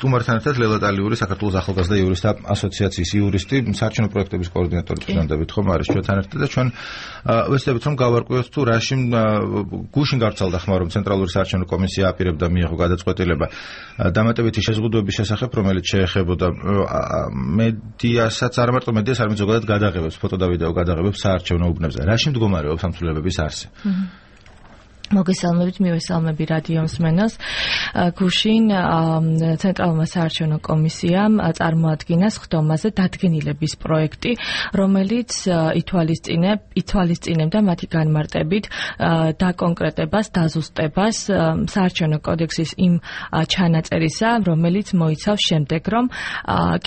სტუმართან ერთად ლელა ტალიური საქართველოს ახალგაზრდა იურისტთა ასოციაციის იურისტი, საარჩევნო პროექტების კოორდინატორი წინანდებით ხომ არის ჩვენთან ერთად და ჩვენ ვეცდებით რომ გავარკვიოთ თუ რაში გუშინ გავრცელდა ხმა რომ ცენტრალური საარჩევნო კომისია აპირებდა მიიღო გადაწყვეტილება დამატებითი შეზღუდვების შესახებ, რომელიც შეეხებოდა მედიასაც, არა მარტო მედიას, არამედ ზოგადად გადაღებებს, ფოტო და ვიდეო გადაღებებს საარჩევნო უბნებზე. რაში მდგომარეობს ამ ცვლილებების არსი? მოგესალმებით, მივესალმები რადიო მსმენელს. გუშინ ცენტრალურმა საარჩევნო კომისიამ წარმოადგინა სხდომაზე დადგენილების პროექტი, რომელიც ითვალისწინებდა მათი განმარტებით დაკონკრეტებას, დაზუსტებას საარჩევნო კოდექსის იმ ჩანაწერისა, რომელიც მოიცავს შემდეგ, რომ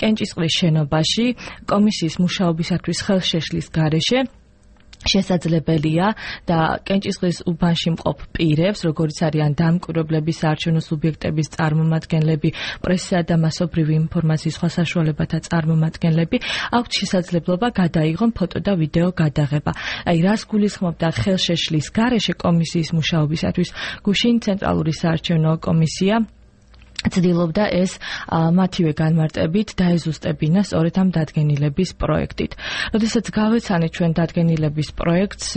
კენჭისყრის შენობაში კომისიის მუშაობისათვის ხელშეშლის გარეშე შესაძლებელია და კენჭისყრის უბანში მყოფ პირებს, როგორც არიან დამკვირვებლები, საარჩევნო სუბიექტების წარმომადგენლები, პრესისა და მასობრივი ინფორმაციის სხვა საშუალებათა წარმომადგენლები, აქვთ შესაძლებლობა გადაიღონ ფოტო და ვიდეო გადაღება. აი, რას გულისხმობდა ხელშეშლის გარეშე კომისიის მუშაობისათვის, გუშინ ცენტრალური საარჩევნო კომისია ცდილობდა ეს მათივე განმარტებით დაეზუსტებინა სწორედ ამ დადგენილების პროექტით. როდესაც გავეცანით ჩვენ დადგენილების პროექტს,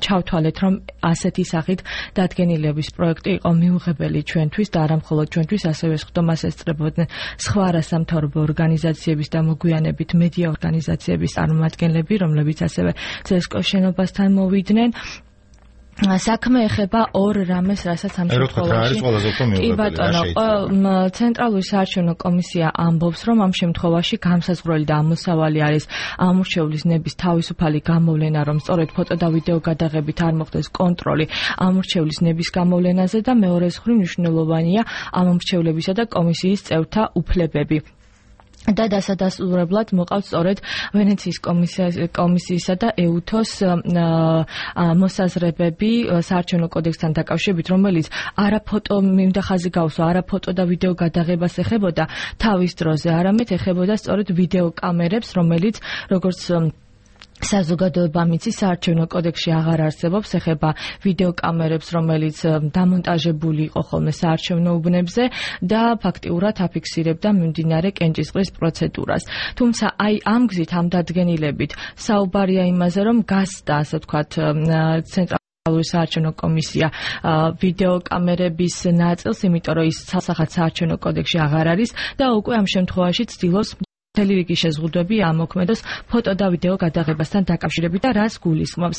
ჩავთვალეთ, რომ ასეთი სახით დადგენილების პროექტი იყო მიუღებელი ჩვენთვის და არა მხოლოდ ჩვენთვის, ასევე სხდომას ესწრებოდნენ სხვა არასამთავრობო ორგანიზაციების და მოგვიანებით მედია ორგანიზაციების წარმომადგენლები, რომლებიც ასევე CSKO-ს შენობასთან მოვიდნენ. საქმე ეხება ორ რამეს, რასაც ამ შემთხვევაში კი ბატონო, ცენტრალური საარჩევნო კომისია ამბობს, რომ ამ შემთხვევაში განსაზღვრელი და ამოსავალი არის ამორჩევლის ნების თავისუფალი გამოვლენა, რომ სწორედ ფოტო და ვიდეო გადაღებით არ მოხდეს კონტროლი ამორჩევლის ნების გამოვლენაზე და მეორე მხრივ მნიშვნელოვანია ამორჩევლებისა და კომისიის წევრთა უფლებები. და დასადასტურებლად მოყავთ სწორედ ვენეციის კომისიისა და EUTO-ს მოსაზრებები საარჩევნო კოდექსთან დაკავშირებით, რომელიც არა ფოტო მინდა ხაზი გავსვა, არა ფოტო და ვიდეო გადაღებას ეხებოდა თავის დროზე, არამედ ეხებოდა სწორედ ვიდეო კამერებს, რომელიც როგორც საზოგადოება მიცის საარჩევნო კოდექსში აღარ არსებობს, ეხება ვიდეო კამერებს, რომელიც დამონტაჟებული იყო ხოლმე საარჩევნო უბნებზე და ფაქტიურად აფიქსირებდა მიმდინარე კენჭისყრის პროცედურას. თუმცა აი ამ გზით, ამ დადგენილებით საუბარია იმაზე, რომ გასდა, ასე ვთქვათ, ცენტრალური საარჩევნო კომისია ვიდეო კამერების ნაწილს, იმიტომ რომ ის ცალსახად საარჩევნო კოდექსში აღარ არის და უკვე ამ შემთხვევაში ცდილობს მთელი რიგი შეზღუდვები ამოქმედოს ფოტო და ვიდეო გადაღებასთან დაკავშირებით და რას გულისხმობს.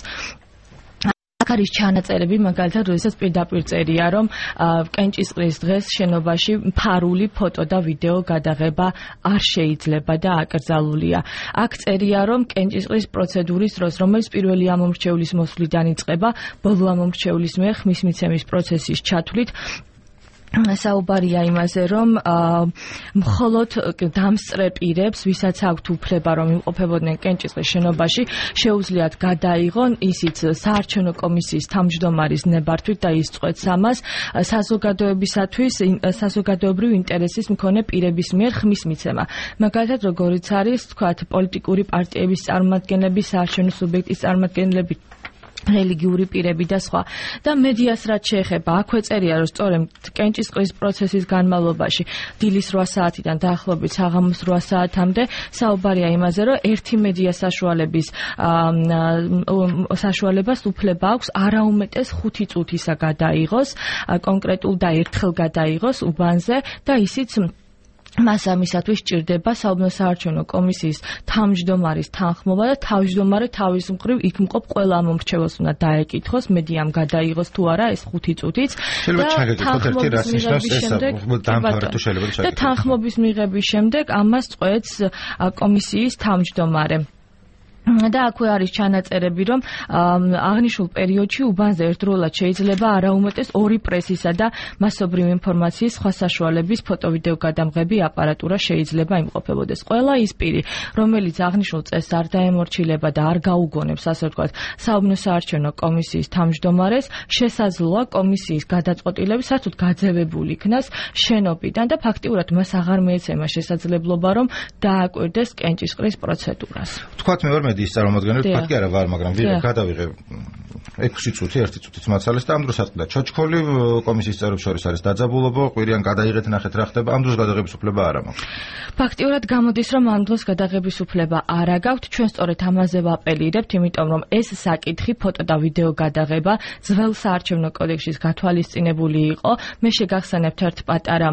აქ არის ჩანაწერები, მაგალითად, როდესაც პირდაპირ წერია, რომ კენჭისყრის დღეს შენობაში ფარული ფოტო და ვიდეო გადაღება არ შეიძლება და აკრძალულია. აქ წერია, რომ კენჭისყრის პროცედურის დროს, რომელიც პირველი ამომრჩევლის მოსვლიდან იწყება, ბოლო ამომრჩევლის მიერ ხმის მიცემის პროცესის ჩათვლით საუბარია იმაზე, რომ მხოლოდ დამსწრე პირებს, ვისაც აქვთ უფლება, რომ იმყოფებოდნენ კენჭისყრის შენობაში, შეუძლიათ გადაიღონ ისიც საარჩევნო კომისიის თავმჯდომარის ნებართვით და ისწყვეტს ამას საზოგადოებისათვის საზოგადოებრივ ინტერესის მქონე პირების მიერ ხმის მიცემა. მაგალითად, როგორიც არის, თქვათ, პოლიტიკური პარტიების წარმომადგენლები, საარჩევნო სუბიექტის წარმომადგენლები, რელიგიური პირები და სხვა. და მედიას რაც შეეხება, აქვე წერია, რომ სწორედ კენჭისყრის პროცესის განმავლობაში დილის 8 საათიდან დაახლოებით საღამოს 8 საათამდე საუბარია იმაზე, რომ ერთი მედია საშუალებას უფლება აქვს არაუმეტეს 5 წუთისა გადაიღოს, კონკრეტულ და ერთხელ გადაიღოს უბანზე და ისიც მას ამისათვის სჭირდება საუბნო საარჩევნო კომისიის თავმჯდომარის თანხმობა და თავმჯდომარე თავის მხრივ იქ მყოფ ყველა ამომრჩეველს უნდა დაეკითხოს, მედიამ გადაიღოს თუ არა ეს 5 წუთიც და თანხმობის მიღების შემდეგ ამას წყვეტს კომისიის თავმჯდომარე. და აქვე არის ჩანაწერები, რომ აღნიშნულ პერიოდში უბანზე ერთდროულად შეიძლება არაუმეტეს 2 პრესისა და მასობრივი ინფორმაციის სხვა საშუალების ფოტო-ვიდეო გადამღები აპარატურა შეიძლება იმყოფებოდეს. ყველა ის პირი, რომელიც აღნიშნულ წესს არ დაემორჩილება და არ გაუგონებს, ასე ვთქვათ, საუბნო საარჩევნო კომისიის თავმჯდომარეს, შესაძლოა კომისიის გადაწყვეტილების საერთოდ გაძევებული იქნას შენობიდან და ფაქტიურად მას აღარ მიეცემა შესაძლებლობა, რომ დააკვირდეს კენჭისყრის პროცედურას. თქვათ მე ვარ მედიის წარმომადგენელი, თქვათ კი არა ვარ, მაგრამ გადავიღე 6 წუთი, 1 წუთით მაცალეს და ამ დროს ატყდა ჩოჩქოლი კომისიის წევრებს შორის არის დაძაბულობა, ყვირიან გადაიღეთ ნახეთ რა ხდება, ამ დროს გადაღების უფლება არ აქვს. ფაქტიურად გამოდის, რომ ამ დროს გადაღების უფლება არ აქვს, ჩვენ სწორედ ამაზე ვაპელირებთ, იმიტომ რომ ეს საკითხი ფოტო და ვიდეო გადაღება ძველ საარჩევნო კოდექსის გათვალისწინებული იყო. მე შეგახსენებთ ერთ პატარა,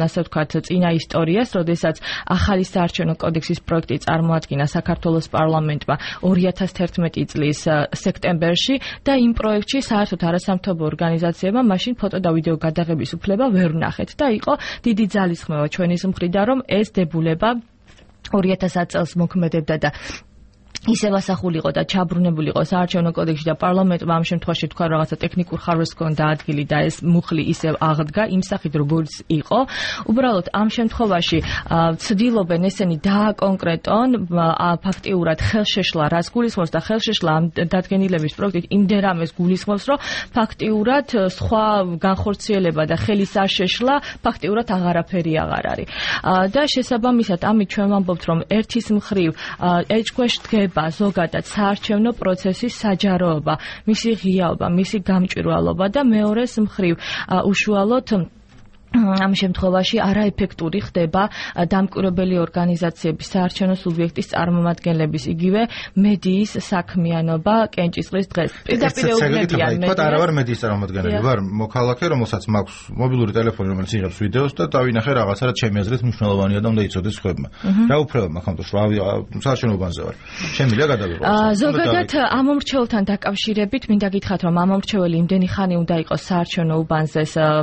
ასე ვთქვათ, წინა ისტორიას, როდესაც ახალი საარჩევნო კოდექსის პროექტი წარმოადგინა საქართველოს პარლამენტმა 2011 წლის სექტემბერში და იმ პროექტში საერთოდ არასამთავრობო ორგანიზაციებმა მაშინ ფოტო და ვიდეო გადაღების უფლება ვერ ვნახეთ და იყო დიდი ძალისხმევა ჩვენის მხრიდან, რომ ეს დებულება 2010 წელს მოქმედებდა და ისევ ასახულიყო და ჩაბრუნებულიყო საარჩევნო კოდექსში და პარლამენტმა ამ შემთხვევაში თქვა რაღაცა ტექნიკურ ხარვეს ჰქონდა ადგილი და ეს მუხლი ისევ აღდგა იმ სახით როგორც იყო. უბრალოდ ამ შემთხვევაში ცდილობენ ესენი დააკონკრეტონ ფაქტიურად ხელშეშლა რას გულისხმობს და ხელშეშლა ამ დადგენილების პროექტით იმდენ რამეს გულისხმობს, რომ ფაქტიურად სხვა განხორციელება და ხელის აშეშლა ფაქტიურად აღარაფერი აღარ არის. და შესაბამისად ამით ჩვენ ვამბობთ, რომ ერთის მხრივ ეჭქვეშ დგება ზოგადად საარჩევნო პროცესის საჯაროობა, მისი ღიაობა, მისი გამჭვირვალობა და მეორეს მხრივ უშუალოდ ამ შემთხვევაში არაეფექტური ხდება დამკვირვებელი ორგანიზაციების საარჩევნო სუბიექტის წარმომადგენლების იგივე მედიის საქმიანობა კენჭისყრის დღეს. პირდაპირ ეუბნებიან მე. არა ვარ მედიის წარმომადგენელი, ვარ მოქალაქე, რომელსაც მაქვს მობილური ტელეფონი, რომელიც იღებს ვიდეოს და დავინახე რაღაცა, რაც ჩემი აზრით მნიშვნელოვანია და უნდა იცოდეს სხვებმა. რა უფლება მაქვს ამ დროს, საარჩევნო უბანზე ვარ. შემიძლია გადავიღო. ზოგადად ამ მომრჩეველთან დაკავშირებით მინდა გითხრათ, რომ ამ მომრჩეველი იმდენი ხანი უნდა იყოს საარჩევნო უბანზე,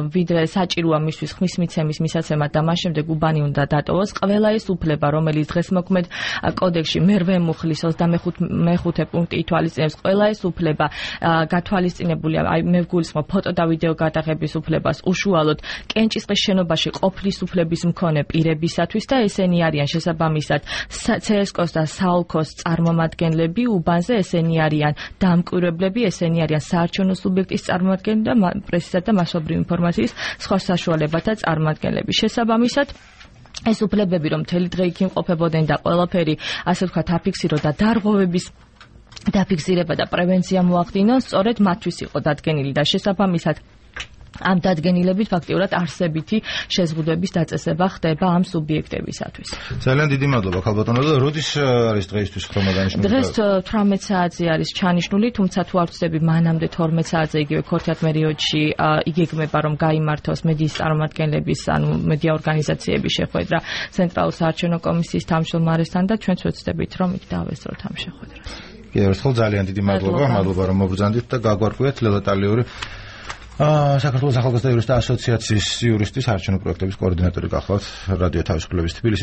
ვიდრე საჭიროა ხმის მიცემის მისაცემად და მას შემდეგ უბანი უნდა დატოვოს. ყველა ეს უფლება, რომელიც დღეს მოქმედ კოდექსში მერვე მუხლის 25 პუნქტი ითვალისწინებს, ყველა ეს უფლება გათვალისწინებულია, აი მე ვგულისხმობ ფოტო და ვიდეო გადაღების უფლებას უშუალოდ კენჭისყრის შენობაში ყოფლის უფლების მქონე პირებისათვის და ესენი არიან შესაბამისად CSKOS და SALKOS წარმომადგენლები უბანზე, ესენი არიან დამკვირვებლები, ესენი არიან საარჩევნო სუბიექტის წარმომადგენლები და პრესისა და მასობრივი ინფორმაციის სხვა საშუალებათა წარმომადგენლები. შესაბამისად ეს უფლებები რომ მთელი დღე იქ იმყოფებოდნენ და ყველაფერი ასე ვთქვათ აფიქსირო და დარღვევების დაფიქსირება და პრევენცია მოახდინონ, სწორედ მათთვის იყო დადგენილი და შესაბამისად ამ დადგენილებით ფაქტიურად არსებითი შეზღუდვების დაწესება ხდება ამ სუბიექტებისათვის. ძალიან დიდი მადლობა ქალბატონო და როდის არის დღეისთვის ხდომა დანიშნული? დღეს 18 საათზე არის ჩანიშნული, თუმცა თუ არ ვწდები მანამდე 12 საათზე იგივე ქორთათ პერიოდში იგეგმება რომ გაიმართოს მედიის წარმომადგენლების, ანუ მედია ორგანიზაციების შეხვედრა ცენტრალურ საარჩევნო კომისიის თავმჯდომარესთან და ჩვენც ვეცდებით რომ იქ დავესწროთ ამ შეხვედრას. კი, ერთხელ ძალიან დიდი მადლობა რომ მობრძანდით და გაგვარკვიეთ ლელა ტალიური საქართველოს ახალგაზრდა იურისტთა ასოციაციის იურისტის არჩევნო პროექტების კოორდინატორი გახლავთ რადიო თავისუფლების თბილისის